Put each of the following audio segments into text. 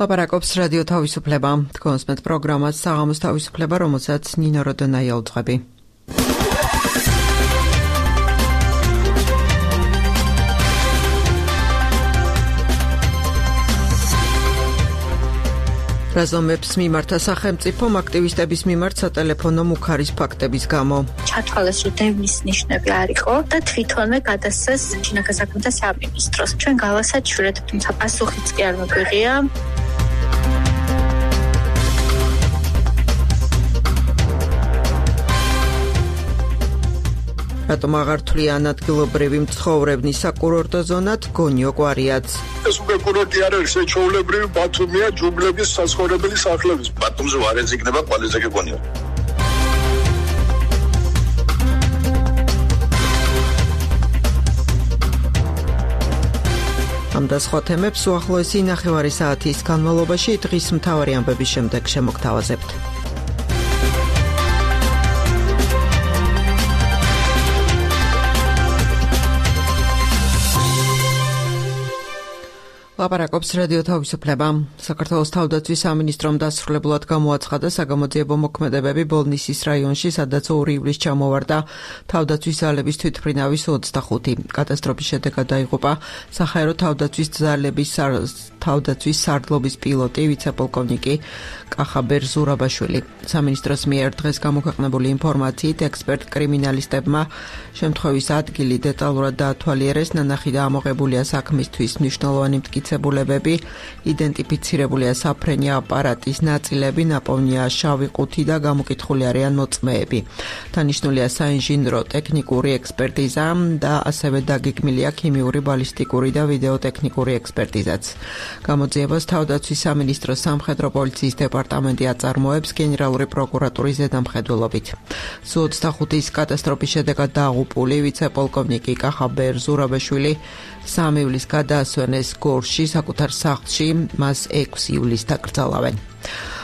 ლაპარაკობს რადიო თავისუფლება. თქვენს მეტ პროგრამას საღამოს თავისუფლება, რომელსაც ნინო როდონაია უძღვები. რაზომებს მიმართა სახელმწიფომ აქტივისტების მიმართ სატელეფონო მუქარის ფაქტების გამო. ჩათვალეს, რომ დევნის ნიშნები არ იყო და თვითონვე გადასცეს შინაგან საქმეთა სამინისტროს. ჩვენ გავასაჩურეთ, თუმცა პასუხიც კი არ მოგვიღია. რატომ აღარ თვლიან ადგილობრივი მცხოვრებნი საკურორტო ზონად გონიო კვარიაც. ეს უკვე კურორტი არ არის, ეს ჩვეულებრივი ბათუმია, ჯუბლების საცხოვრებელი სახლების. ბათუმზე არ ეძებნება ყველაზე გონიო. ამ და სხვა თემებს უახლოესი ნახევარი საათის განმავლობაში დღის მთავარი ამბების შემდეგ შემოგთავაზებთ. ლაპარაკობს რადიო თავისუფლება. საქართველოს თავდაცვის სამინისტრომ დასრულებულად გამოაცხადა საგამოძიებო მოქმედებები ბოლნისის რაიონში, სადაც 2 ივლისს ჩამოვარდა თავდაცვის ძალების თვითმფრინავის 25. კატასტროფის შედეგად დაიღუპა საჰაერო თავდაცვის ძალების თავდაცვის სარდლობის პილოტი ვიცე-პოლკოვნიკი კახაბერ ზურაბაშვილი. სამინისტროს მიერ დღეს გამოქვეყნებული ინფორმაციით ექსპერტ კრიმინალისტებმა შემთხვევის ადგილი დეტალურად დაათვალიერეს, ნანახი და ამოღებულია საქმისთვის მნიშვნელოვანი მტკიცებულებები, იდენტიფიცირებულია საფრენი აპარატის ნაწილები, ნაპოვნია შავი ყუთი და გამოკითხული არიან მოწმეები. დანიშნულია საინჟინრო ტექნიკური ექსპერტიზა და ასევე დაგეგმილია ქიმიური, ბალისტიკური და ვიდეოტექნიკური ექსპერტიზაც. გამოძიებას თავდაცვის სამინისტროს სამხედრო პოლიციის დეპარტამენტი აწარმოებს გენერალური პროკურატურის ზედამხედველობით. Su-25-ის კატასტროფის შედეგად დაღუპული ვიცე-პოლკოვნიკი კახაბერ ზურაბაშვილი 3 ივლისს გადაასვენეს გორში საკუთარ სახლში, მას 6 ივლისს დაკრძალავენ.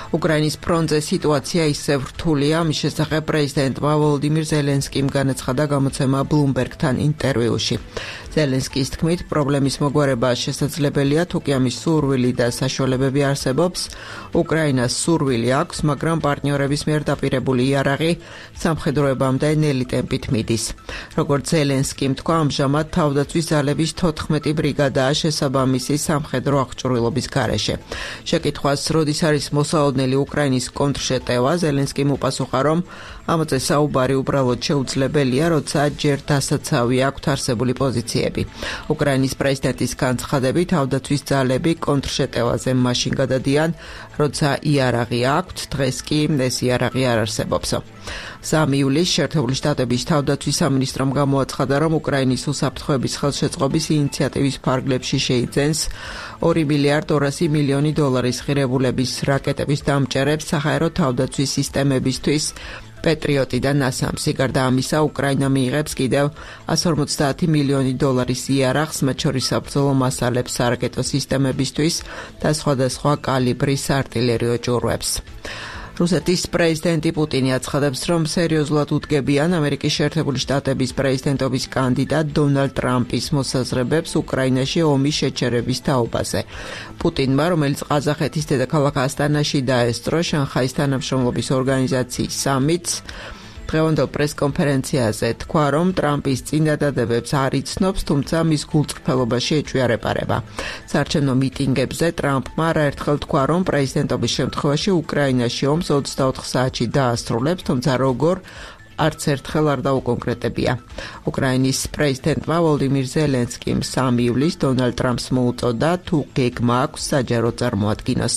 უკრაინის ფრონტზე სიტუაცია ისევ რთულია, მის შესახებ პრეზიდენტმა ვოლოდიმირ ზელენსკიმ განაცხადა გამოცემა Bloomberg-თან ინტერვიუში. ზელენსკის თქმით, პრობლემის მოგვარება შესაძლებელია, თუკი ამის სურვილი და საშუალებები არსებობს. უკრაინას სურვილი აქვს, მაგრამ პარტნიორების მიერ დაპირებული იარაღი სამხედროებამდე ნელი ტემპით მიდის. როგორც ზელენსკიმ თქვა, ამჟამად თავდაცვის ძალების 14 ბრიგადაა შესაბამისი სამხედრო აღჭურვილობის გარეშე. შეკითხვას, როდის არის მოსაოდნელი უკრაინის კონტრშეტევა, ზელენსკიმ უპასუხა, რომ ამაზე საუბარი უბრალოდ შეუძლებელია, როცა ჯერ დასაცავი აქვთ არსებული პოზიციები. უკრაინის პრეზიდენტის განცხადებით, თავდაცვის ძალები კონტრშეტევაზე მაშინ გადადიან, როცა იარაღი აქვთ, დღეს კი ეს იარაღი არ არსებობს. 3 ივლისს შეერთებული შტატების თავდაცვის სამინისტრომ გამოაცხადა, რომ უკრაინის უსაფრთხოების ხელშეწყობის ინიციატივის ფარგლებში შეიძენს $2 მილიარდ 200 მილიონი ღირებულების რაკეტების დამჭერებს საჰაერო თავდაცვის სისტემებისთვის პეტრიოტი და ნასამსი. გარდა ამისა, უკრაინა მიიღებს კიდევ $150 მილიონი იარაღს, მათ შორის საბრძოლო მასალებს სარაკეტო სისტემებისთვის და სხვადასხვა კალიბრის არტილერიო ჯურვებს. რუსეთის პრეზიდენტი პუტინი აცხადებს, რომ სერიოზულად უდგებიან ამერიკის შეერთებული შტატების პრეზიდენტობის კანდიდატ დონალდ ტრამპის მოსაზრებებს უკრაინაში ომის შეჩერების თაობაზე. პუტინმა, რომელიც ყაზახეთის დედაქალაქ ასტანაში დაესწრო შანხაის თანამშრომლობის ორგანიზაციის სამიტს, დღევანდელ პრესკონფერენციაზე თქვა, რომ ტრამპის წინადადებებს არ იცნობს, თუმცა მის გულწრფელობაში ეჭვიარეპარება. საარჩევნო მიტინგებზე ტრამპმა არაერთხელ თქვა, რომ პრეზიდენტობის შემთხვევაში უკრაინაში ომს 24 საათში დაასრულებს, თუმცა როგორ არც ერთხელ არ დაუკონკრეტებია. უკრაინის პრეზიდენტმა ვოლოდიმირ ზელენსკიმ 3 ივლისს დონალდ ტრამპს მოუწოდა, თუ გეგმა აქვს საჯარო წარმოადგინოს.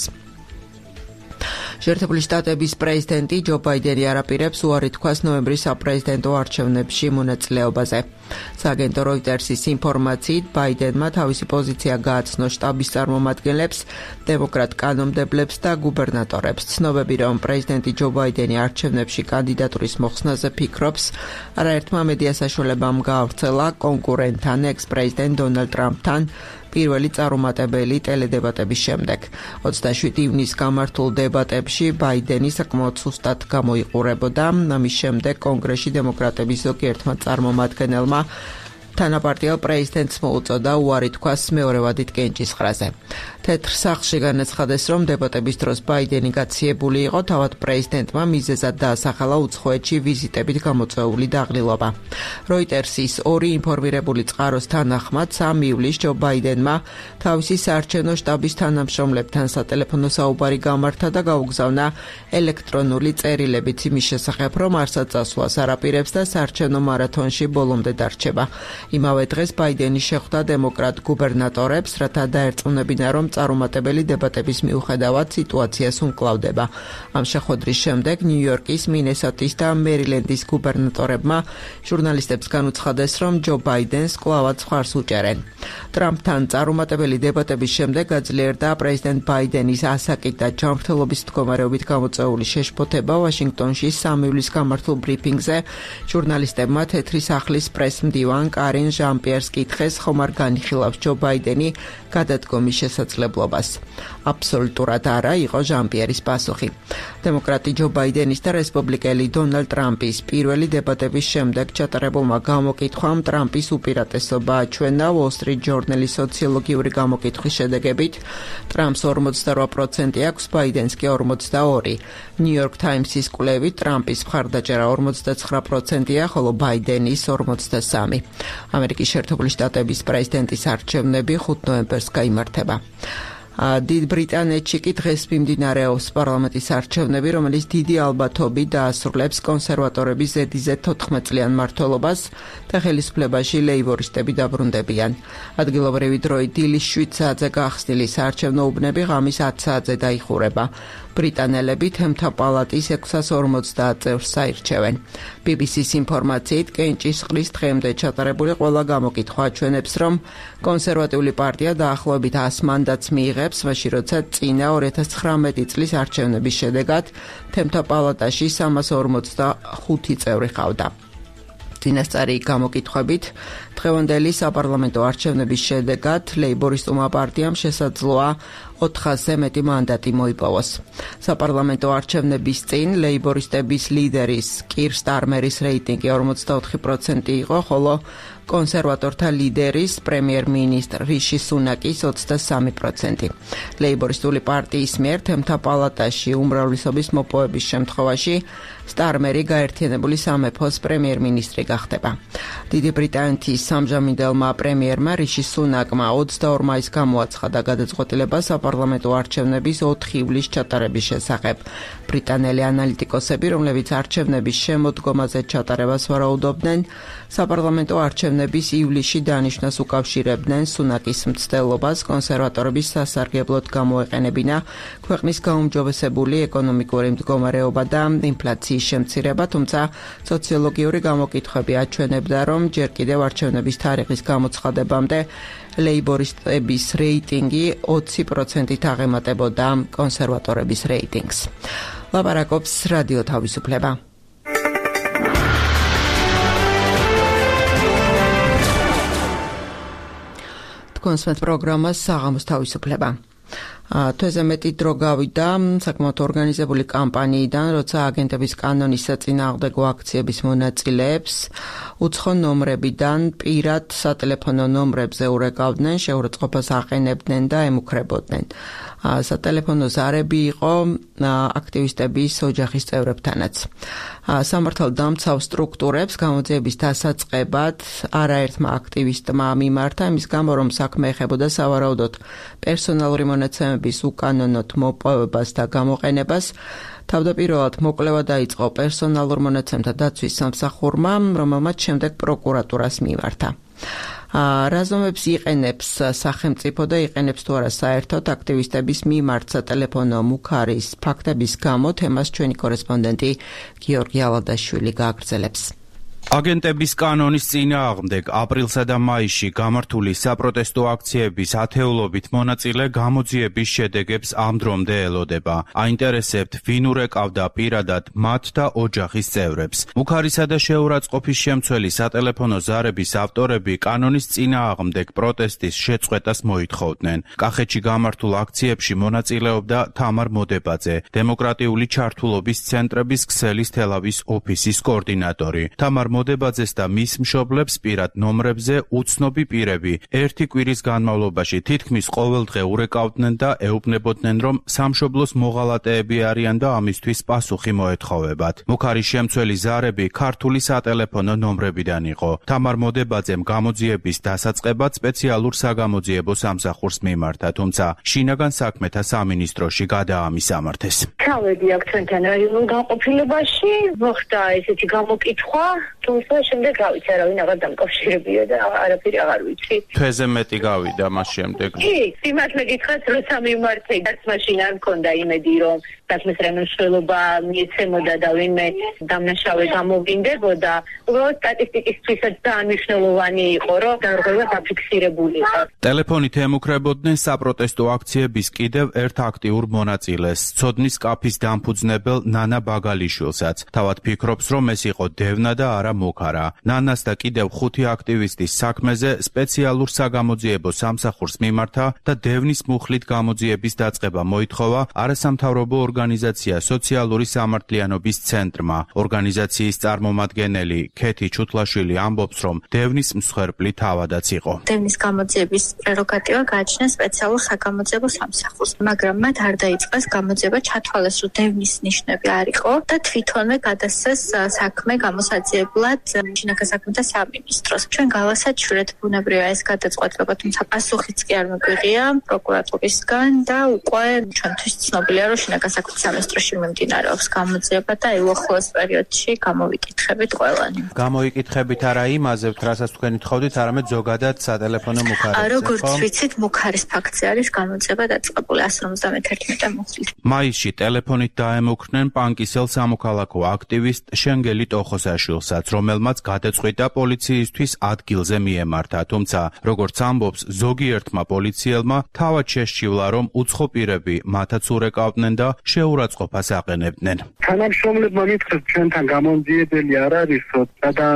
შეერთებული შტატების პრეზიდენტი ჯო ბაიდენი არაპირებს უარი თქვას ნოემბრის საპრეზიდენტო არჩევნებში მონაწილეობაზე. სააგენტო როიტერსის ინფორმაციით, ბაიდენმა თავისი პოზიცია გააცნო შტაბის წარმომადგენლებს, დემოკრატ კანონმდებლებს და გუბერნატორებს. ცნობები, რომ პრეზიდენტი ჯო ბაიდენი არჩევნებში კანდიდატურის მოხსნაზე ფიქრობს, არაერთმა მედია საშუალებამ გაავრცელა კონკურენტთან, ექს-პრეზიდენტ დონალდ ტრამპთან პირველი წარუმატებელი ტელედებატების შემდეგ. 27 ივნისს გამართულ დებატებში ბაიდენი საკმაოდ სუსტად გამოიყურებოდა. ამის შემდეგ კონგრესში დემოკრატების ზოგიერთმა წარმომადგენელმა თანაპარტიელ პრეზიდენტს მოუწოდა უარი თქვას მეორე ვადით კენჭისყრაზე. თეთრ სახლში განაცხადეს, რომ დებატების დროს ბაიდენი გაციებული იყო, თავად პრეზიდენტმა მიზეზად დაასახელა უცხოეთში ვიზიტებით გამოწვეული დაღლილობა. როიტერსის ორი ინფორმირებული წყაროს თანახმად 3 ივლისს ჯო ბაიდენმა თავისი საარჩევნო შტაბის თანამშრომლებთან სატელეფონო საუბარი გამართა და გაუგზავნა ელექტრონული წერილებით იმის შესახებ, რომ არსად წასვლას არაპირებს და საარჩევნო მარათონში ბოლომდე დარჩება. იმავე დღეს ბაიდენი შეხვდა დემოკრატ გუბერნატორებს, რათა დაერწმუნებინა, რომ წარუმატებელი დებატების მიუხედავად სიტუაციას უმკლავდება. ამ შეხვედრის შემდეგ ნიუ-იორკის, მინესოტის და მერილენდის გუბერნატორებმა ჟურნალისტებს განუცხადეს, რომ ჯო ბაიდენს კვლავაც მხარს უჭერენ. ტრამპთან წარუმატებელი დებატების შემდეგ გაძლიერდა პრეზიდენტ ბაიდენის ასაკით და ჯანმრთელობის მდგომარეობით გამოწვეული შეშფოთება ვაშინგტონში 3 ივლისს გამართულ ბრიფინგზე ჟურნალისტებმა თეთრი სახლის პრესმდივან კარინ ჟან-პიერს კითხეს, ხომ არ განიხილავს ჯო ბაიდენი გადადგომის შესაძლებლობას. აბსოლუტურად არა, იყო ჟან-პიერის პასუხი. დემოკრატი ჯო ბაიდენის და რესპუბლიკელი დონალდ ტრამპის პირველი დებატების შემდეგ ჩატარებულმა გამოკითხვამ ტრამპის უპირატესობა აჩვენა. Wall Street Journal-ის სოციოლოგიური გამოკითხვის შედეგებით ტრამპს 48% აქვს, ბაიდენს კი 42. New York Times-ის კვლევით ტრამპის მხარდაჭერა 49%-ია, ხოლო ბაიდენის 43. ამერიკის შეერთებული შტატების პრეზიდენტის არჩევნები 5 ნოემბერს გაიმართება. დიდ ბრიტანეთში კი დღეს მიმდინარეობს პარლამენტის არჩევნები, რომელიც დიდი ალბათობით დაასრულებს კონსერვატორების ზედიზედ 14 წლიან მმართველობას და ხელისუფლებაში ლეიბორისტები დაბრუნდებიან. ადგილობრივი დროით დილის 7 საათზე გახსნილი საარჩევნო უბნები ღამის 10 საათზე დაიხურება. ბრიტანელები თემთა პალატის 650 წევრს საირჩევენ. BBC-ს ინფორმაციით კენჭისყრის დღემდე ჩატარებული ყველა გამოკითხვა აჩვენებს, რომ კონსერვატიული პარტია დაახლოებით 100 მანდატს მიიღებს, მაშინ როცა წინა 2019 წლის არჩევნების შედეგად თემთა პალატაში 345 წევრი ყავდა. წინასწარი გამოკითხვებით დღევანდელი საპარლამენტო არჩევნების შედეგად ლეიბორისტულმა პარტიამ შესაძლოა 400-ზე მეტი მანდატი მოიპოვოს. საპარლამენტო არჩევნების წინ ლეიბორისტების ლიდერის კირ სტარმერის რეიტინგი 44% იყო, ხოლო კონსერვატორთა ლიდერის პრემიერ-მინისტრ რიში სუნაკის 23%. ლეიბორისტული პარტიის მიერ თემთა პალატაში უმრავლესობის მოპოვების შემთხვევაში სტარმერი გაერთიანებული სამეფოს პრემიერ-მინისტრი გახდება. დიდი ბრიტანეთის სამჟამინდელმა პრემიერმა რიში სუნაკმა 22 მაისს გამოაცხადა გადაწყვეტილება საპარლამენტო არჩევნების 4 ივლისს ჩატარების შესახებ. ბრიტანელი ანალიტიკოსები, რომლებიც არჩევნების შემოდგომაზე ჩატარებას ვარაუდობდნენ, საპარლამენტო არჩევნების ივლისში დანიშვნას უკავშირებდნენ სუნაკის მცდელობას კონსერვატორების სასარგებლოდ გამოეყენებინა ქვეყნის გაუმჯობესებული ეკონომიკური მდგომარეობა და ინფლაციის შემცირება, თუმცა სოციოლოგიური გამოკითხვები აჩვენებდა, რომ ჯერ კიდევ არჩევნების თარიღის გამოცხადებამდე ლეიბორისტების რეიტინგი 20%-ით აღემატებოდა კონსერვატორების რეიტინგს. ლაპარაკობს რადიო თავისუფლება. კონსვენთ პროგრამას საღამოს თავისუფლება. თვეზე მეტი დრო გავიდა საკმაოდ ორგანიზებული კამპანიიდან, როცა აგენტების კანონის საწინააღმდეგო აქციების მონაწილეებს უცხო ნომრებიდან პირად სატელეფონო ნომრებზე ურეკავდნენ, შეურაცხყოფას აყენებდნენ და ემუქრებოდნენ. სატელეფონო ზარები იყო აქტივისტების ოჯახის წევრებთანაც. სამართალ დამცავ სტრუქტურებს გამოძიების დასაწყებად არაერთმა აქტივისტმა მიმართა, იმის გამო, რომ საქმე ეხებოდა სავარაუდოდ პერსონალური მონაცემების უკანონოდ მოპოვებას და გამოყენებას. თავდაპირველად მოკვლევა დაიწყო პერსონალურ მონაცემთა დაცვის სამსახურმა, რომელმაც შემდეგ პროკურატურას მიმართა. რაზომებს იყენებს სახელმწიფო და იყენებს თუ არა საერთოდ აქტივისტების მიმართ სატელეფონო მუქარის ფაქტების გამო, თემას ჩვენი კორესპონდენტი გიორგი ალადაშვილი გააგრძელებს. აგენტების კანონის წინააღმდეგ აპრილსა და მაისში გამართული საპროტესტო აქციების ათეულობით მონაწილე გამოძიების შედეგებს ამ დრომდე ელოდება. აინტერესებთ, ვინ ურეკავდა პირადად მათ და ოჯახის წევრებს. მუქარისა და შეურაცხყოფის შემცველი სატელეფონო ზარების ავტორები კანონის წინააღმდეგ პროტესტის შეწყვეტას მოითხოვდნენ. კახეთში გამართულ აქციებში მონაწილეობდა თამარ მოდებაძე, დემოკრატიული ჩართულობის ცენტრების ქსელის თელავის ოფისის კოორდინატორი. თამარ მოდებაძეს და მის მშობლებს პირად ნომრებზე უცნობი პირები ერთი კვირის განმავლობაში თითქმის ყოველდღე ურეკავდნენ და ეუბნებოდნენ, რომ სამშობლოს მოღალატეები არიან და ამისთვის პასუხი მოეთხოვებათ. მუქარის შემცველი ზარები ქართული სატელეფონო ნომრებიდან იყო. თამარ მოდებაძემ გამოძიების დასაწყებად სპეციალურ საგამოძიებო სამსახურს მიმართა, თუმცა შინაგან საქმეთა სამინისტროში გადაამისამართეს. ჩავედი აქ ჩვენთან რაიონულ განყოფილებაში, მოხდა ესეთი გამოკითხვა, თუმცა შემდეგ გავიცი არავინ აღარ დამკავშირებია და არაფერი აღარ ვიცი. თვეზე მეტი გავიდა მას შემდეგ. კი, სიმართლე გითხრათ, როცა მიმართე, დაც მაშინ არ მქონდა იმედი, რომ საქმის რემონტშველობა მიეცემოდა და ვინმე დამნაშავე გამოვინდებოდა. უბრალოდ სტატისტიკისთვისაც ძალიან მნიშვნელოვანი იყო, რომ დარღვევა დაფიქსირებული იყო. ტელეფონით ემუქრებოდნენ საპროტესტო აქციების კიდევ ერთ აქტიურ მონაწილეს, ცოდნის კაფის დამფუძნებელ ნანა ბაგალიშვილსაც. თავად ფიქრობს, რომ ეს იყო დევნა და არა მუქარა. ნანას და კიდევ 5 აქტივისტის საქმეზე სპეციალურ საგამოძიებო სამსახურს მიმართა და დევნის მუხლით გამოძიების დაწყება მოითხოვა არასამთავრობო ორგანიზაცია სოციალური სამართლიანობის ცენტრმა. ორგანიზაციის წარმომადგენელი ქეთი ჩუთლაშვილი ამბობს, რომ დევნის მსხვერპლი თავადაც იყო. დევნის გამოძიების პრეროგატივა გააჩნია სპეციალურ საგამოძიებო სამსახურს, მაგრამ მათ არ დაიწყეს გამოძიება, ჩათვალეს, რომ დევნის ნიშნები არ იყო და თვითონვე გადასცეს საქმე გამოსაძიებლად შინაგან საქმეთა სამინისტროს. ჩვენ გავასაჩვენეთ ბუნებრივია ეს გადაწყვეტილება, თუმცა პასუხიც კი არ მოგვიღია პროკურატურისგან და უკვე ჩვენთვის ცნობილია, რომ შინაგან საქმეთა სამინისტროში მიმდინარეობს გამოძიება და უახლოეს პერიოდში გამოვიკითხებით ყველანი. გამოიკითხებით არა იმაზევთ, რასაც თქვენ ითხოვდით, არამედ ზოგადად სატელეფონო მუქარებზე. როგორც ვიცით, მუქარის ფაქტზე არის გამოძიება დაწყებული 151 მუხლით. მაისში ტელეფონით დაემუქრნენ პანკისელ სამოქალაქო აქტივისტ შენგელი ტოხოსაშვილსაც, რომელმაც გადაწყვიტა პოლიციისთვის ადგილზე მიემართა, თუმცა როგორც ამბობს ზოგიერთმა პოლიციელმა, თავად შესჩივლა, რომ უცხო პირები მათაც ურეკავდნენ და შეურაცხყოფას აყენებდნენ. თანამშრომლებმა მითხრეს, ჩვენთან გამომძიებელი არ არისო და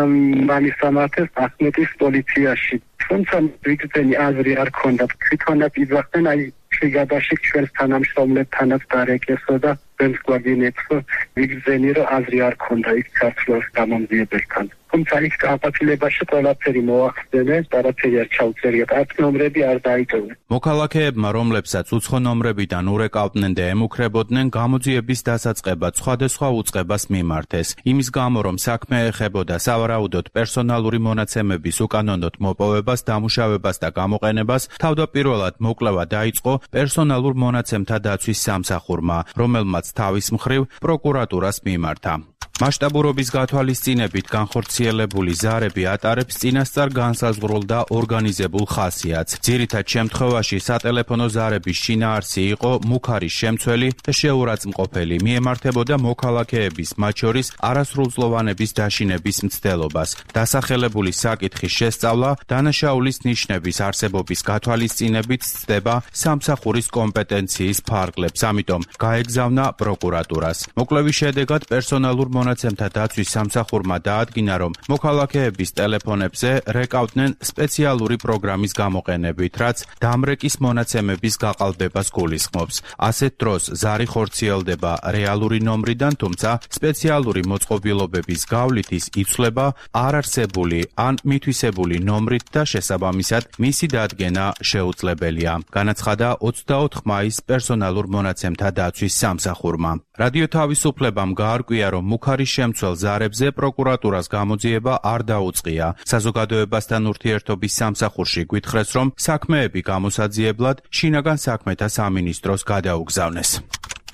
მისამართეს ახმეტის პოლიციაში. თუმცა ვიგრძენი აზრი არ ქონდათ, თვითონაც იძახდნენ, აი შეგადაში ჩვენს თანამშრომლებთანაც დარეკესო და ვენს გვაგინებსო, ვიგრძენი რომ აზრი არ ქონდა იქ საქართველოს გამომძიებელთან. თუმცა იქ კაპიტულებაში ყველაფერი მოახდენეს, არაფერი არ ჩაუწერია, აქ ნომრები არ დაიწოვეს. მოქალაქეებმა, რომლებსაც უცხო ნომრებიდან ურეკავდნენ და ემუქრებოდნენ, გამოძიების დასაწყებად სხვადასხვა უწყებას მიმართეს. იმის გამო, რომ საქმე ეხებოდა სავარაუდოდ პერსონალური მონაცემების უკანონოდ მოპოვებას, დამუშავებას და გამოყენებას, თავდაპირველად მოკვლევა დაიწყო პერსონალურ მონაცემთა დაცვის სამსახურმა, რომელმაც თავის მხრივ პროკურატურას მიმართა. მასშტაბურობის გათვალისწინებით განხორციელებული ზარები ატარებს წინასწარ განსაზღვრულ და ორგანიზებულ ხასიათს. ძირითად შემთხვევაში სატელეფონო ზარების შინაარსი იყო მუქარის შემცველი და შეურაცხმყოფელი, მიემართებოდა მოქალაქეების, მათ შორის არასრულწლოვანების დაშინების მცდელობას. დასახელებული საკითხის შესწავლა დანაშაულის ნიშნების არსებობის გათვალისწინებით ცდება სამსახურის კომპეტენციის ფარგლებს, ამიტომ გაეგზავნა პროკურატურას. მოკვლევის შედეგად პერსონალურ მონაცემთა დაცვის სამსახურმა დაადგინა, რომ მოქალაქეების ტელეფონებზე რეკავდნენ სპეციალური პროგრამის გამოყენებით, რაც დამრეკის მონაცემების გაყალბებას გულისხმობს. ასეთ დროს ზარი ხორციელდება რეალური ნომრიდან, თუმცა სპეციალური მოწყობილობების გავლით ის იცვლება არარსებული ან მითვისებული ნომრით და შესაბამისად მისი დადგენა შეუძლებელია. განაცხადა 24 მაისს პერსონალურ მონაცემთა დაცვის სამსახურმა. რადიო თავისუფლებამ გაარკვია, რომ მუქარის შემცველ ზარებზე პროკურატურას გამოძიება არ დაუწყია. საზოგადოებასთან ურთიერთობის სამსახურში გვითხრეს, რომ საქმეები გამოსაძიებლად შინაგან საქმეთა სამინისტროს გადაუგზავნეს.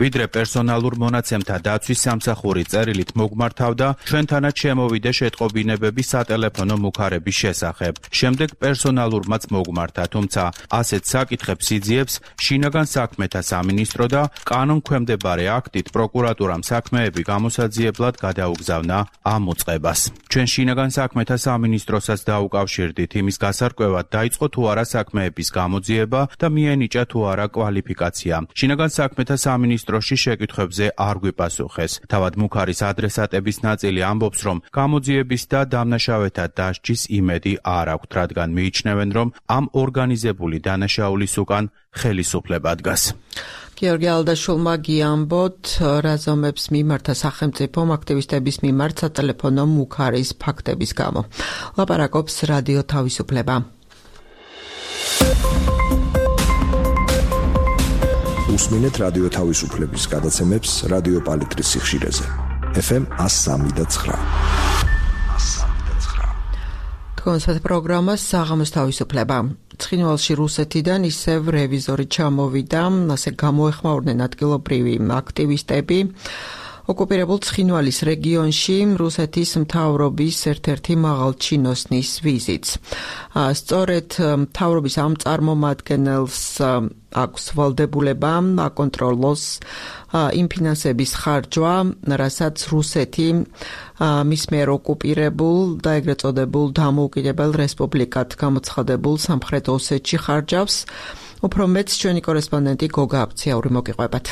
ვიდრე პერსონალურ მონაცემთა დაცვის სამსახური წერილით მოგმართავდა, ჩვენთანაც შემოვიდა შეტყობინებები სატელეფონო მუქარების შესახებ. შემდეგ პერსონალურმაც მოგმართა, თუმცა ასეთ საკითხებს იძიებს შინაგან საქმეთა სამინისტრო და კანონქვემდებარე აქტით პროკურატურამ საქმეები გამოსაძიებლად გადაუგზავნა ამ უწყებას. ჩვენ შინაგან საქმეთა სამინისტროსაც დაუკავშირდით იმის გასარკვევად, დაიწყო თუ არა საქმეების გამოძიება და მიენიჭა თუ არა კვალიფიკაცია. შინაგან საქმეთა სამინისტრო სამინისტროში შეკითხვებზე არ გვიპასუხეს. თავად მუქარის ადრესატების ნაწილი ამბობს, რომ გამოძიების და დამნაშავეთა დასჯის იმედი არ აქვთ, რადგან მიიჩნევენ, რომ ამ ორგანიზებული დანაშაულის უკან ხელისუფლება დგას. გიორგი ალდაშულმა გიამბოთ, რა ზომებს მიმართა სახელმწიფომ აქტივისტების მიმართ სატელეფონო მუქარის ფაქტების გამო. ლაპარაკობს რადიო თავისუფლება. უსმინეთ რადიო თავისუფლების გადაცემებს რადიო პალიტრის სიხშირეზე. FM 103.9. თქვენს პროგრამას საღამოს თავისუფლება. ცხინვალში რუსეთიდან ისევ რევიზორი ჩამოვიდა, ასე გამოეხმაურნენ ადგილობრივი აქტივისტები. ოკუპირებულ ცხინვალის რეგიონში რუსეთის მთავრობის ერთ-ერთი მაღალჩინოსნის ვიზიტს. სწორედ მთავრობის ამ წარმომადგენელს აქვს ვალდებულება აკონტროლოს იმ ფინანსების ხარჯვა, რასაც რუსეთი მის მიერ ოკუპირებულ და ეგრეთ წოდებულ დამოუკიდებელ რესპუბლიკად გამოცხადებულ სამხრეთ ოსეთში ხარჯავს. უფრო მეტს ჩვენი კორესპონდენტი გოგა აბციაური მოგიყვებათ.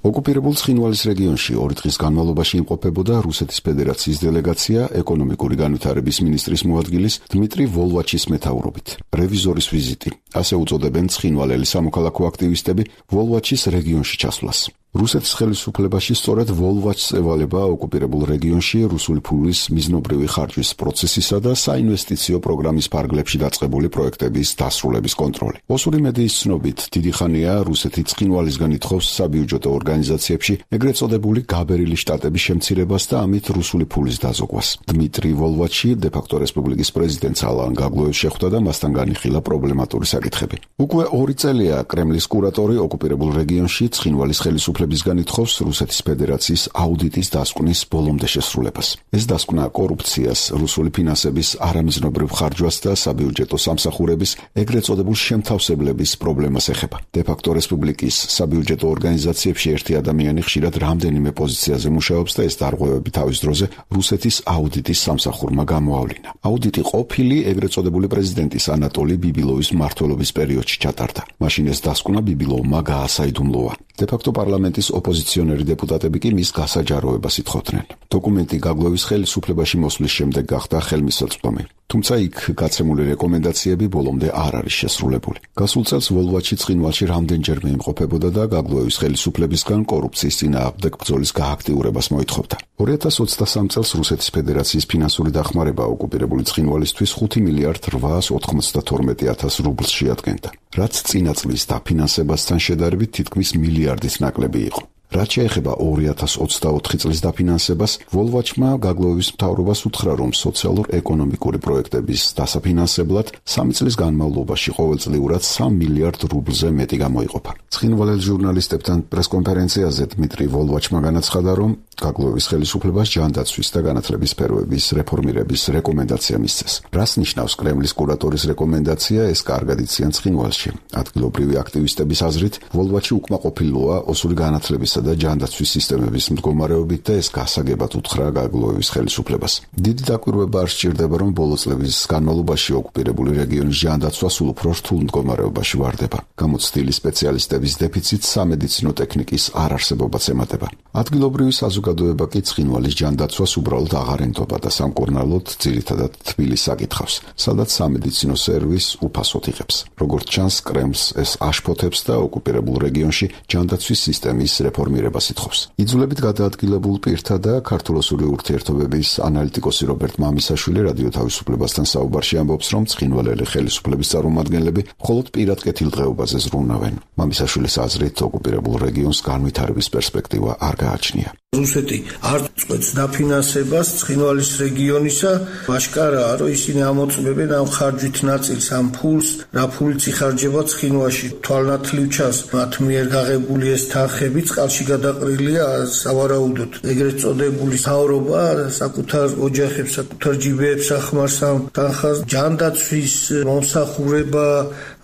ოკუპირებულ ცხინვალის რეგიონში 2 დღის განმავლობაში იმყოფებოდა რუსეთის ფედერაციის დელეგაცია ეკონომიკური განვითარების მინისტრის მოადგილის დმიტრი ვოლვაჩის მეთაურობით. რევიზორის ვიზიტი, ასე უწოდებენ ცხინვალელი სამოქალაქო აქტივისტები ვოლვაჩის რეგიონში ჩასვლას. რუსეთის ხელისუფლებაში სწორედ ვოლვაჩს ევალება ოკუპირებულ რეგიონში რუსული ფულის მიზნობრივი ხარჯვის პროცესისა და საინვესტიციო პროგრამის ფარგლებში დაწყებული პროექტების დასრულების კონტროლი. ოსური მედიის ცნობით, დიდი ხანია რუსეთი ცხინვალისგან ითხოვს საბიუჯეტო ორგანიზაციებში ეგრეთ წოდებული გაბერილი შტატების შემცირებას და ამით რუსული ფულის დაზოგვას. დმიტრი ვოლვაჩი დე-ფაქტო რესპუბლიკის პრეზიდენტს ალან გაგლოევს შეხვდა და მასთან განიხილა პრობლემატური საკითხები. უკვე 2 წელია კრემლის კურატორი ოკუპირებულ რეგიონში ცხინვალის ხელისუფლებისგან ითხოვს რუსეთის ფედერაციის აუდიტის დასკვნის ბოლომდე შესრულებას. ეს დასკვნა კორუფციას, რუსული ფინანსების არამიზნობრივ ხარჯვას და საბიუჯეტო სამსახურების ეგრეთ წოდებულ შემთავსებლების პრობლემას ეხება. დე-ფაქტო რესპუბლიკის საბიუჯეტო ორგანიზაციებში ერთი ადამიანი ხშირად რამდენიმე პოზიციაზე მუშაობს და ეს დარღვევები თავის დროზე რუსეთის აუდიტის სამსახურმა გამოავლინა. აუდიტი ყოფილი ეგრეთ წოდებული პრეზიდენტის ანატოლი ბიბილოვის მმართველობის პერიოდში ჩატარდა. მაშინ ეს დასკვნა ბიბილოვმა გაასაიდუმლოა. დე-ფაქტო პარლამენტის ოპოზიციონერი დეპუტატები კი მის გასაჯაროებას ითხოვდნენ. დოკუმენტი გაგლოევის ხელისუფლებაში მოსვლის შემდეგ გახდა ხელმისაწვდომი. თუმცა იქ გაცემული რეკომენდაციები ბოლომდე არ არის შესრულებული. გასულ წელს ვოლვაჩი ცხინვალში რამდენჯერმე იმყოფებოდა და გაგლოევის ხელისუფლებისგან კორუფციის წინააღმდეგ ბრძოლის გააქტიურებას მოითხოვდა. 2023 წელს რუსეთის ფედერაციის ფინანსური დახმარება ოკუპირებული ცხინვალისთვის 5 მილიარდ 892,000 რუბლს შეადგენდა, რაც წინა წლის დაფინანსებასთან შედარებით თითქმის მილიარდის ნაკლები იყო. რაც შეეხება 2024 წლის დაფინანსებას, ვოლვაჩმა გაგლოევის მთავრობას უთხრა, რომ სოციალურ-ეკონომიკური პროექტების დასაფინანსებლად 3 წლის განმავლობაში ყოველწლიურად 3 მილიარდ რუბლზე მეტი გამოიყოფა. ცხინვალელ ჟურნალისტებთან პრესკონფერენციაზე დმიტრი ვოლვაჩმა განაცხადა, რომ გაგლოევის ხელისუფლებას ჯანდაცვის და განათლების სფეროების რეფორმირების რეკომენდაცია მისცეს. რას ნიშნავს კრემლის კურატორის რეკომენდაცია, ეს კარგად იციან ცხინვალში. ადგილობრივი აქტივისტების აზრით, ვოლვაჩი უკმაყოფილოა ოსური განათლებისა და ჯანდაცვის სისტემების მდგომარეობით და ეს გასაგებად უთხრა გაგლოევის ხელისუფლებას. დიდი დაკვირვება არ სჭირდება, რომ ბოლო წლების განმავლობაში ოკუპირებული რეგიონის ჯანდაცვა სულ უფრო რთულ მდგომარეობაში ვარდება. გამოცდილი სპეციალისტების დეფიციტს სამედიცინო ტექნიკის არარსებობაც ემატება. ადგილობრივი საზოგადოება კი ცხინვალის ჯანდაცვას უბრალოდ აღარ ენდობა და სამკურნალოდ ძირითადად თბილისს აკითხავს, სადაც სამედიცინო სერვისს უფასოდ იღებს. როგორც ჩანს, კრემლს ეს აშფოთებს და ოკუპირებულ რეგიონში ჯანდაცვის სისტემის რეფორმირებას ითხოვს. იძულებით გადაადგილებულ პირთა და ქართულ-ოსური ურთიერთობების ანალიტიკოსი რობერტ მამისაშვილი რადიო თავისუფლებასთან საუბარში ამბობს, რომ ცხინვალელი ხელისუფლების წარმომადგენლები მხოლოდ პირად კეთილ დღეობაზე ზრუნავენ. მამისაშვილის აზრით, ოკუპირებულ რეგიონს განვითარების პერსპექტივა არ გააჩნია. რუსეთი არ წყვეტს დაფინანსებას ცხინვალის რეგიონისა, აშკარაა, რომ ისინი ამოწმებენ ამ ხარჯვით ნაწილს ამ ფულს, რა ფულიც იხარჯება ცხინვალში. თვალნათლივ ჩანს მათ მიერ გაღებული ეს თანხები წყალში გადაყრილია სავარაუდოდ. ეგრეთ წოდებული მთავრობა საკუთარ ოჯახებს, საკუთარ ჯიბეებს ახმარს ამ თანხას. ჯანდაცვის მომსახურება,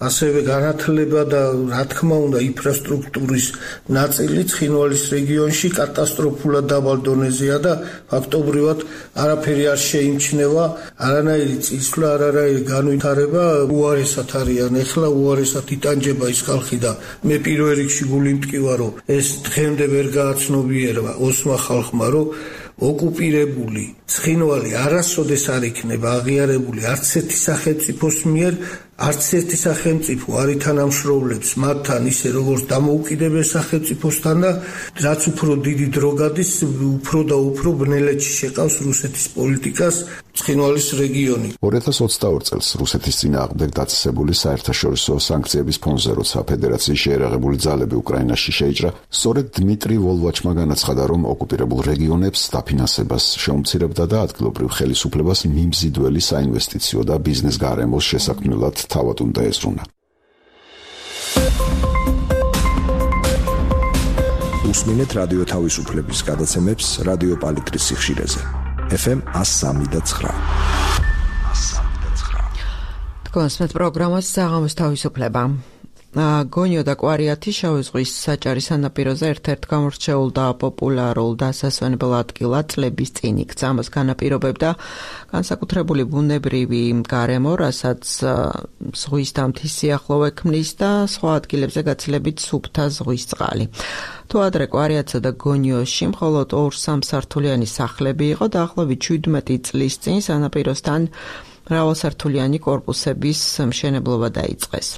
ასევე განათლება და რა თქმა უნდა ინფრასტრუქტურის ნაწილი ცხინვალის რეგიონში კატასტროფა უსაფრთხოებულად დაბალ დონეზეა და ფაქტობრივად არაფერი არ შეიმჩნევა, არანაირი წინსვლა, არანაირი განვითარება უარესად არიან. ეხლა უარესად იტანჯება ის ხალხი და მე პირველ რიგში გული მტკივა, რომ ეს დღემდე ვერ გააცნობიერება ოსმა ხალხმა, რომ ოკუპირებული ცხინვალი არასოდეს არ იქნება აღიარებული არც ერთი სახელმწიფოს მიერ, არც ერთი სახელმწიფო არ ითანამშრომლებს მათთან ისე როგორც დამოუკიდებელ სახელმწიფოსთან და რაც უფრო დიდი დრო გადის, უფრო და უფრო ბნელეთში შეყავს რუსეთის პოლიტიკას ცხინვალის რეგიონი. 2022 წელს რუსეთის წინააღმდეგ დაწესებული საერთაშორისო სანქციების ფონზე, როცა ფედერაციის შეერაღებული ძალები უკრაინაში შეიჭრა, სწორედ დმიტრი ვოლვაჩმა განაცხადა, რომ ოკუპირებულ რეგიონებს დაფინანსებას შეუმცირებდა და ადგილობრივ ხელისუფლებას მიმზიდველი საინვესტიციო და ბიზნეს გარემოს შესაქმნელად თავად უნდა ეზრუნა. უსმინეთ რადიო თავისუფლების გადაცემებს რადიო პალიტრის სიხშირეზე. FM 103.9. თქვენს პროგრამას საღამოს თავისუფლება. გონიო და კვარიათი შავი ზღვის საჭარის სანაპიროზე ერთ-ერთ გამორჩეულ და პოპულარულ დასასვენებელ ადგილად წლების წინ იქცა. ამას განაპირობებდა განსაკუთრებული ბუნებრივი გარემო, რასაც ზღვის დამთის სიახლოვე ქმნის და სხვა ადგილებზე გაცილებით სუფთა ზღვის წყალი. თუ ადრე კვარიათსა და გონიოში მხოლოდ 2-3 სართულიანი სახლები იყო, დაახლოებით 17 წლის წინ სანაპიროსთან მრავალსართულიანი კორპუსების მშენებლობა დაიწყეს.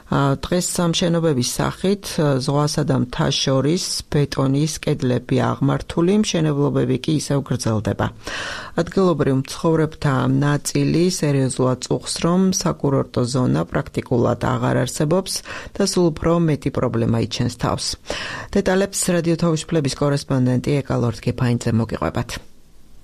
დღეს სამშენებლობის სახით ზღვასა და მთას შორის ბეტონის კედლები აღმართული, მშენებლობები კი ისევ გრძელდება. ადგილობრივ მცხოვრებთა ნაწილი სერიოზულად წუხს, რომ საკურორტო ზონა პრაქტიკულად აღარ არსებობს და სულ უფრო მეტი პრობლემა იჩენს თავს. დეტალებს რადიო თავისუფლების კორესპონდენტი ეკა ლორდ-გეფაინძე მოგიყვებათ.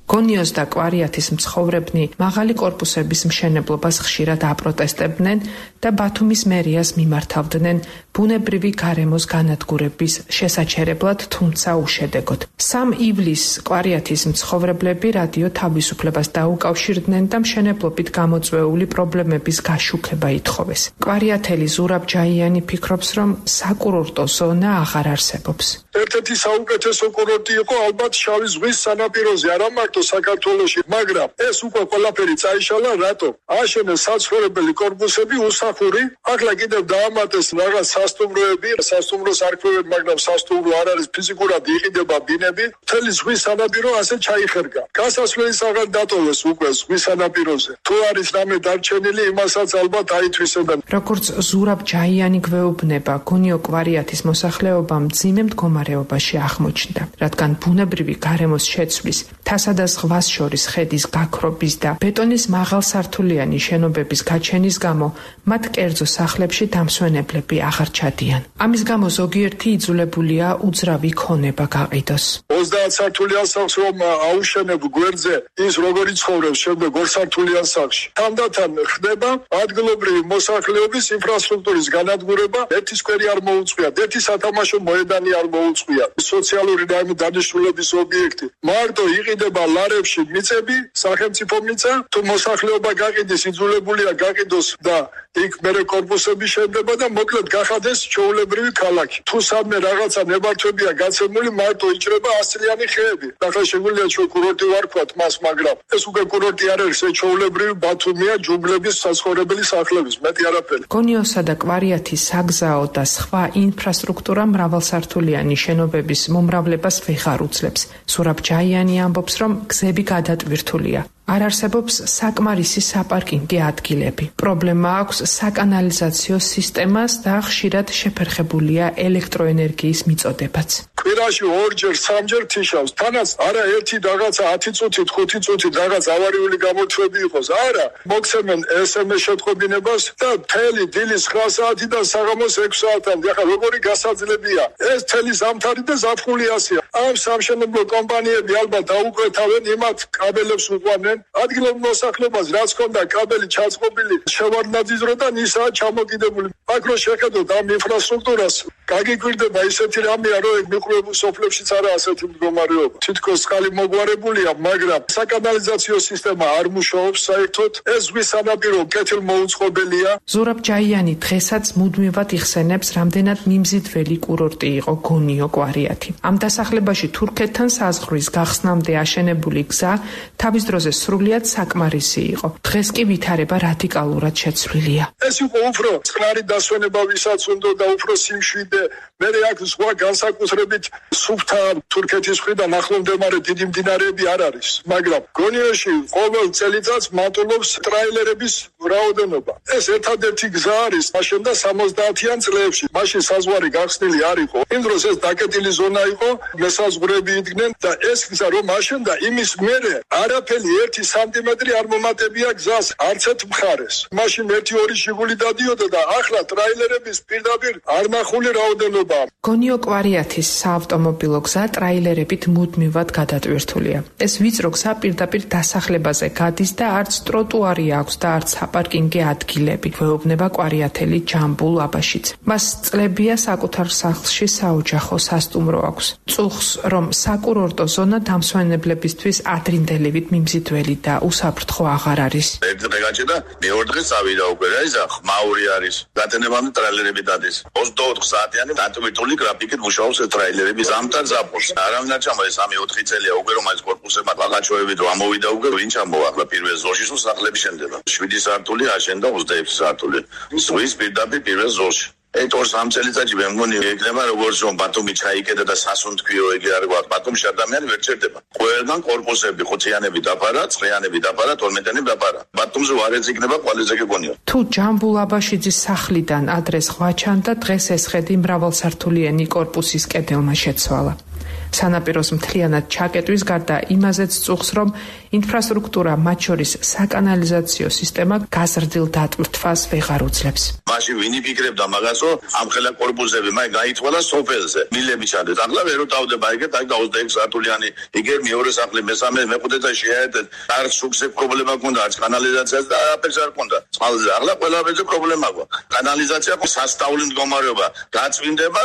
გონიოს და კვარიათის მცხოვრებნი მაღალი კორპუსების მშენებლობას ხშირად აპროტესტებდნენ და ბათუმის მერიას მიმართავდნენ ბუნებრივი გარემოს განადგურების შესაჩერებლად, თუმცა უშედეგოდ. 3 ივლისს კვარიათის მცხოვრებლები რადიო თავისუფლებას დაუკავშირდნენ და მშენებლობით გამოწვეული პრობლემების გაშუქება ითხოვეს. კვარიათელი ზურაბ ჯაიანი ფიქრობს, რომ საკურორტო ზონა აღარ არსებობს. ერთ-ერთი საუკეთესო კურორტი იყო ალბათ შავი ზღვის სანაპიროზე, არა მარტო საქართველოში, მაგრამ ეს უკვე ყველაფერი წაიშალა, რატო? აშენეს საცხოვრებელი კორპუსები უსახური, ახლა კიდევ დაამატეს რაღაც სასტუმროები, სასტუმროს არ ქმნიან, მაგრამ სასტუმრო არ არის, ფიზიკურად იყიდება ბინები, მთელი ზღვის სანაპირო ასე ჩაიხერგა. გასასვლელის აღარ დატოვეს უკვე ზღვის სანაპიროზე. თუ არის რამე დარჩენილი, იმასაც ალბათ აითვისებენ. როგორც ზურაბ ჯაიანი გვეუბნება, გონიო კვარიათის მოსახლეობა მძიმე მდგომარეობაში აღმოჩნდა, რადგან ბუნებრივი გარემოს შეცვლის, თასა და ზღვას შორის ხედის გაქრობის და ბეტონის მაღალსართულიანი შენობების გაჩენის გამო მათ კერძო სახლებში დამსვენებლები აღარ ჩადიან. ამის გამო ზოგიერთი იძულებულია უძრავი ქონება გაყიდოს. 30 სართულიან სახლს რომ აუშენებ გვერდზე, ის როგორ იცხოვრებს შემდეგ 2 სართულიან სახლში. თანდათან ხდება ადგილობრივი მოსახლეობის ინფრასტრუქტურის განადგურება, ერთი სკვერი არ მოუწყვიათ, ერთი სათამაშო მოედანი არ მოუწყვიათ. სოციალური დანიშნულების ობიექტი. მარტო იყიდება ლარებში მიწები, სახელმწიფო მიწა, თუ მოსახლეობა გაყიდეს, იძულებულია გაყიდოს და იქ მერე კორპუსები შენდება და მოკლედ გახადეს ჩვეულებრივი ქალაქი. თუ სადმე რაღაცა ნებართვებია გაცემული, მარტო იჭრება 100 წლიანი ხეები. ახლა შეგვიძლია ჩვენ კურორტი ვარქვათ მას, მაგრამ ეს უკვე კურორტი არ არის, ეს ჩვეულებრივი ბათუმია, ჯუნგლების საცხოვრებელი სახლების, მეტი არაფერი. გონიოსა და კვარიათის საგზაო და სხვა ინფრასტრუქტურა მრავალსართულიანი შენობების მომრავლებას ვეღარ უძლებს. ზურაბ ჯაიანი ამბობს, რომ გზები გადატვირთულია. არ არსებობს საკმარისი საპარკინგი ადგილები. პრობლემა აქვს საკანალიზაციო სისტემას და ხშირად შეფერხებულია ელექტროენერგიის მიწოდებაც. კვირაში 2-ჯერ, 3-ჯერ თიშავს. თანაც არა ერთი რაღაცა 10 წუთით, 5 წუთით რაღაც ავარიული გამოთვები იყოს. არა, მოგცემენ SMS შეტყობინებას და მთელი დილის 9 საათიდან საღამოს 6 საათამდე. ახლა როგორი გასაძლებია? ეს მთელი ზამთარი და ზაფხული ასეა. ამ სამშენებლო კომპანიები ალბათ დაუკვეთავენ იმათ კაბელებს უყვანენ იყვნენ. ადგილობრივ მოსახლეობას რაც ჰქონდა კაბელი ჩაწყობილი შევარდნაძიზრო და ისაა ჩამოკიდებული. აქ რო შეხედოთ ამ ინფრასტრუქტურას, გაგიკვირდება ისეთი რამეა, რომ მიყრუებულ სოფლებშიც არა ასეთი მდგომარეობა. თითქოს წყალი მოგვარებულია, მაგრამ საკანალიზაციო სისტემა არ მუშაობს საერთოდ. ეს ზღვის სანაპირო კეთილმოუწყობელია. ზურაბ ჯაიანი დღესაც მუდმივად იხსენებს, რამდენად მიმზიდველი კურორტი იყო გონიო კვარიათი. ამ დასახლებაში თურქეთთან საზღვრის გახსნამდე აშენებული გზა თავის დროზე სრულიად საკმარისი იყო. დღეს კი ვითარება რადიკალურად შეცვლილია. ეს იყო უფრო წყნარი დასვენება, ვისაც უნდა და უფრო სიმშვიდე. მე აქ სხვა განსაკუთრებით სუფთა თურქეთის მხრიდან ახლომდებარე დიდი მდინარეები არ არის, მაგრამ გონიოში ყოველ წელიწადს მატულობს ტრაილერების რაოდენობა. ეს ერთადერთი გზა არის აშენდა 70-იან წლებში. მაშინ საზღვარი გახსნილი არ იყო. იმ დროს ეს დაკეტილი ზონა იყო, მესაზღვრეები იდგნენ და ეს გზა რომ აშენდა, იმის მერე არაფერი 1 სანტიმეტრი არ მომატებია გზას არც ერთ მხარეს. მაშინ 1-2 შიგული დადიოდა და ახლა ტრაილერების პირდაპირ არ ნახული რაოდენობა. გონიო კვარიათის საავტომობილო გზა ტრაილერებით მუდმივად გადატვირთულია. ეს ვიწრო გზა პირდაპირ დასახლებაზე გადის და არც ტროტუარი აქვს და არც საპარკინგე ადგილები. გვეუბნება კვარიათელი ჯამბულ აბაშიც. მას წლებია საკუთარ სახლში საოჯახო სასტუმრო აქვს. წუხს, რომ საკურორტო ზონა დამსვენებლებისთვის ადრინდელივით მიმზიდველი და უსაფრთხო აღარ არის. ერთ-ერთი გაჭედა, მეორე დღეს წავიდა უკვე რა ისა ხმაური არის. გატენებამდე ტრაილერები დადის. 24 საათიანი დატვირთული გრაფიკით მუშაობს ეს ტრაილერები ზამთარ ზაფხულს. არავინ არ ჩამოვა 3-4 წელია უკვე რომ ეს კორპუსებმა ბაღაჩოებით რომ ამოვიდა უკვე ვინ ჩამოვა ახლა პირველ ზოლში სულ სახლები შენდება. 7 სართული აშენდა 26 სართული. ზღვის პირდაპირ პირველ ზოლში. 2-3 წელიწადში მე მგონი ეგნება როგორც რომ ბათუმი ჩაიკედა და სასუნთქიო ეგ არ გვაქვს. ბათუმში ადამიანი ვერ ჩერდება. ყველგან კორპუსები, ხუთიანები დაფარა, ცხრიანები დაფარა, 12-იანები დაფარა. ბათუმზე არ ეძიგნება ყველაზე გეგონია. თუ ჯამბულ აბაშიძის სახლიდან ადრეს ღვაჩანდა, დღეს ეს ხედი მრავალსართულიანი კორპუსის კედელმა შეცვალა. სანაპიროს მთლიანად ჩაკეტვის გარდა იმაზეც წუხს, რომ ინფრასტრუქტურა, მათ შორის საკანალიზაციო სისტემა გაზრდილ დატვირთვას ვეღარ უძლებს. მაშინ ვინ იფიქრებდა მაგას, რომ ამ ხელა კორპუსები მაინც გაითვალა სოფელზე. მილები ჩადეთ. ახლა ვერ უტავდება ეგეთ, აი 26 სართულიანი, იგერ მეორე სახლი, მესამე, მეხუთე და შეერთეთ. არც შუქზე პრობლემა გქონდა, არც კანალიზაციაზე და არაფერს არ გქონდა. წყალზე ახლა ყველაფერზე პრობლემა გვაქვს. კანალიზაცია სასწაული მდგომარეობა, გაწვინდება,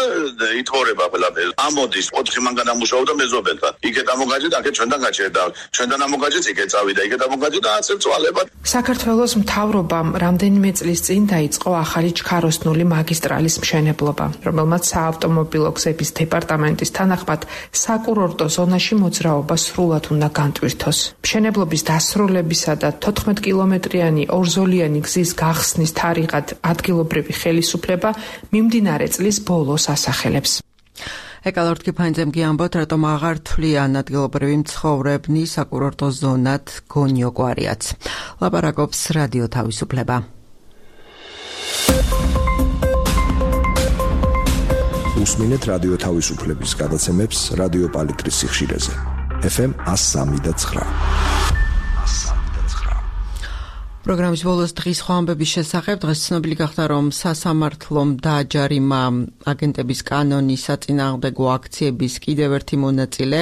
ითворება ყველაფერი. ამოდის 4 მანქანა მუშაობდა მეზობელთან. იქეთ ამოგაჭედა, აქეთ ჩვენთან გაჭერდა. ჩვენთან ამოგაჭედა, იქეთ წავიდა, იქეთ ამოგაჭედა, ასე წვალება. საქართველოს მთავრობამ რამდენიმე წლის წინ დაიწყო ახალი ჩქაროსნული მაგისტრალის მშენებლობა, რომელმაც საავტომობილო გზების დეპარტამენტის თანახმად საკურორტო ზონაში მოძრაობა სრულად უნდა განტვირთოს. მშენებლობის დასრულებისა და 14 კილომეტრიანი ორზოლიანი გზის გახსნის თარიღად ადგილობრივი ხელისუფლება მიმდინარე წლის ბოლოს ასახელებს. ეკალორტ კიფანძემ გიამბოთ, რატომ აღარ თვლიან ადგილობრივი მცხოვრებნი საკურორტო ზონად გონიო კვარიათს. ლაპარაკობს რადიო თავისუფლება. უსმინეთ რადიო თავისუფლების გადაცემებს რადიო პალიტრის სიხშირეზე. FM 103.9. პროგრამის ბოლოს დღის სხვა ამბების შესახებ. დღეს ცნობილი გახდა, რომ სასამართლომ დააჯარიმა აგენტების კანონის საწინააღმდეგო აქციების კიდევ ერთი მონაწილე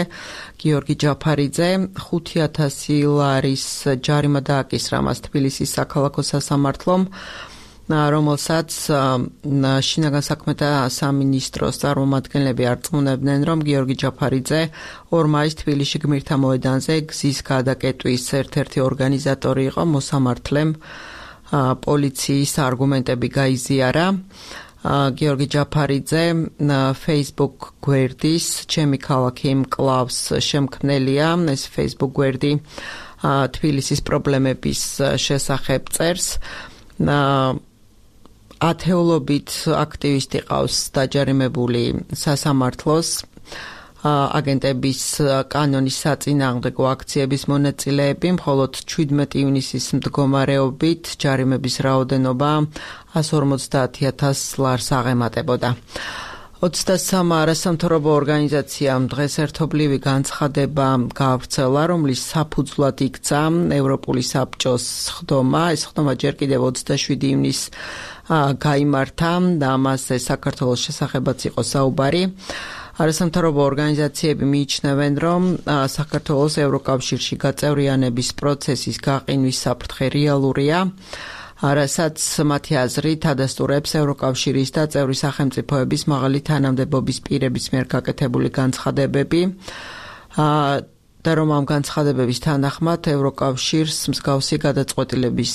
გიორგი ჯაფარიძე. 5,000 ლარის ჯარიმა დააკისრა მას თბილისის საქალაქო სასამართლომ, რომელსაც შინაგან საქმეთა სამინისტროს წარმომადგენლები არწმუნებდნენ, რომ გიორგი ჯაფარიძე 2 მაისს თბილისში გმირთა მოედანზე გზის გადაკეტვის ერთ-ერთი ორგანიზატორი იყო. მოსამართლემ პოლიციის არგუმენტები გაიზიარა. გიორგი ჯაფარიძე Facebook გვერდის ჩემი ქალაქი მკლავს შემქმნელია. ეს Facebook გვერდი თბილისის პრობლემების შესახებ წერს. ათეულობით აქტივისტი ყავს დაჯარიმებული სასამართლოს აგენტების კანონის საწინააღმდეგო აქციების მონაწილეები, მხოლოდ 17 ივნისის მდგომარეობით ჯარიმების რაოდენობა 150,000 ლარს აღემატებოდა. 23 არასამთავრობო ორგანიზაციამ დღეს ერთობლივი განცხადება გაავრცელა, რომლის საფუძვლად იქცა ევროპული საბჭოს ხდომა. ეს ხდომა ჯერ კიდევ 27 ივნისს გაიმართა და ამაზე საქართველოს შესახებაც იყო საუბარი. არასამთავრობო ორგანიზაციები მიიჩნევენ, რომ საქართველოს ევროკავშირში გაწევრიანების პროცესის გაყინვის საფრთხე რეალურია, რასაც მათი აზრით ადასტურებს ევროკავშირის და წევრი სახელმწიფოების მაღალი თანამდებობის პირების მიერ გაკეთებული განცხადებები. და რომ ამ განცხადებების თანახმად ევროკავშირის მსგავსი გადაწყვეტილების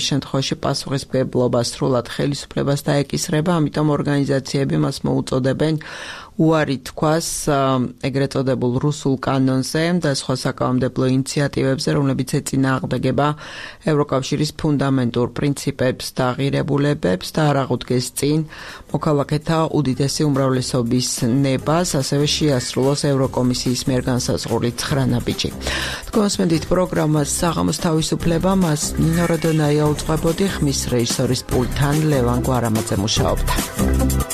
შემთხვევაში პასუხისმგებლობა სრულად ხელისუფლებას დაეკისრება, ამიტომ ორგანიზაციები მას მოუწოდებენ უარი თქვას ეგრეთ წოდებულ რუსულ კანონზე და სხვა საკანონმდებლო ინიციატივებზე, რომლებიც ეწინააღმდეგება ევროკავშირის ფუნდამენტურ პრინციპებს და ღირებულებებს და არ აღუდგეს წინ მოქალაქეთა უდიდესი უმრავლესობის ნებას, ასევე შეასრულოს ევროკომისიის მიერ განსაზღვრული 9 ნაბიჯი. თქვენსმენდით პროგრამას საღამოს თავისუფლება, მას ნინო როდონაია უძღვებოდი, ხმის რეჟისორის პულტთან ლევან გვარამაძე მუშაობდა.